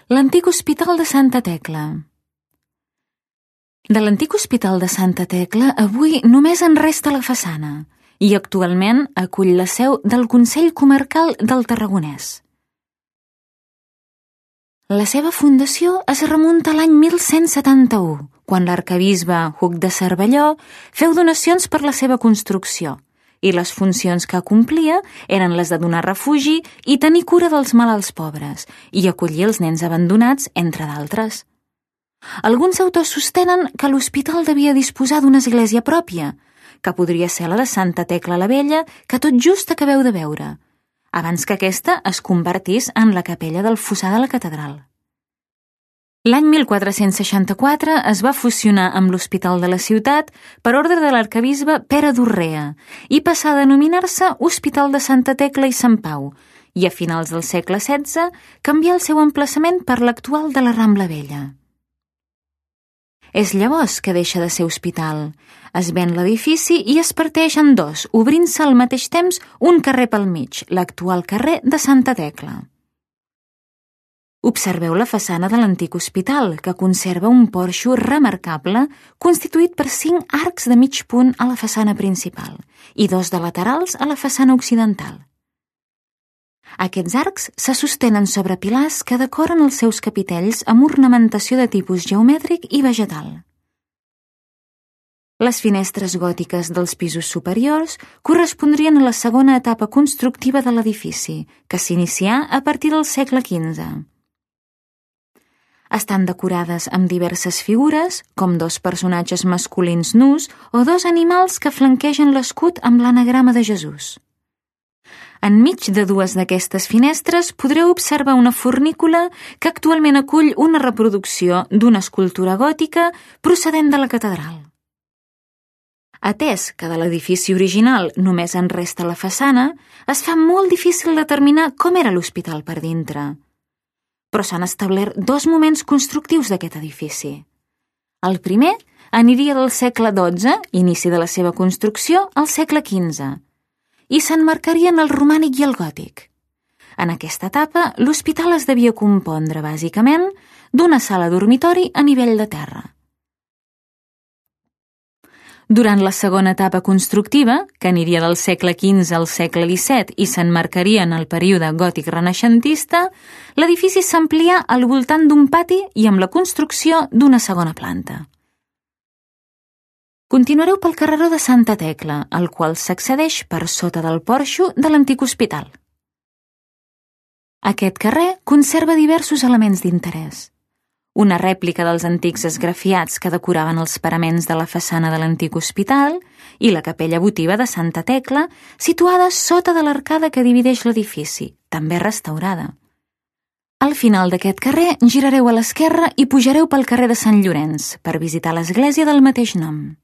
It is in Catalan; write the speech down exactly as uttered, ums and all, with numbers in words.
L'antic Hospital de Santa Tecla. De l'antic Hospital de Santa Tecla avui només en resta la façana i actualment acull la seu del Consell Comarcal del Tarragonès. La seva fundació es remunta a l'any mil cent setanta-u, quan l'arquebisbe Hug de Cervelló feu donacions per la seva construcció i les funcions que complia eren les de donar refugi i tenir cura dels malalts pobres i acollir els nens abandonats, entre d'altres. Alguns autors sostenen que l'hospital devia disposar d'una església pròpia, que podria ser la de Santa Tecla la Vella, que tot just acabeu de veure, abans que aquesta es convertís en la capella del fossar de la catedral. L'any mil quatre-cents seixanta-quatre es va fusionar amb l'Hospital de la Ciutat per ordre de l'arquebisbe Pere d'Urrea i passà a denominar-se Hospital de Santa Tecla i Sant Pau i a finals del segle setze canvià el seu emplaçament per l'actual de la Rambla Vella. És llavors que deixa de ser hospital. Es ven l'edifici i es parteix en dos, obrint-se al mateix temps un carrer pel mig, l'actual carrer de Santa Tecla. Observeu la façana de l'antic hospital, que conserva un porxo remarcable constituït per cinc arcs de mig punt a la façana principal i dos de laterals a la façana occidental. Aquests arcs se sostenen sobre pilars que decoren els seus capitells amb ornamentació de tipus geomètric i vegetal. Les finestres gòtiques dels pisos superiors correspondrien a la segona etapa constructiva de l'edifici, que s'inicià a partir del segle quinze. Estan decorades amb diverses figures, com dos personatges masculins nus o dos animals que flanquegen l'escut amb l'anagrama de Jesús. Enmig de dues d'aquestes finestres podreu observar una fornícula que actualment acull una reproducció d'una escultura gòtica procedent de la catedral. Atès que de l'edifici original només en resta la façana, es fa molt difícil determinar com era l'hospital per dintre. Però s'han establert dos moments constructius d'aquest edifici. El primer aniria del segle dotze, inici de la seva construcció, al segle quinze, i s'emmarcarien el romànic i el gòtic. En aquesta etapa, l'hospital es devia compondre, bàsicament, d'una sala dormitori a nivell de terra. Durant la segona etapa constructiva, que aniria del segle quinze al segle disset i s'emmarcaria en el període gòtic renaixentista, l'edifici s'amplià al voltant d'un pati i amb la construcció d'una segona planta. Continuareu pel carreró de Santa Tecla, al qual s'accedeix per sota del porxo de l'antic hospital. Aquest carrer conserva diversos elements d'interès. Una rèplica dels antics esgrafiats que decoraven els paraments de la façana de l'antic hospital i la capella votiva de Santa Tecla, situada sota de l'arcada que divideix l'edifici, també restaurada. Al final d'aquest carrer girareu a l'esquerra i pujareu pel carrer de Sant Llorenç per visitar l'església del mateix nom.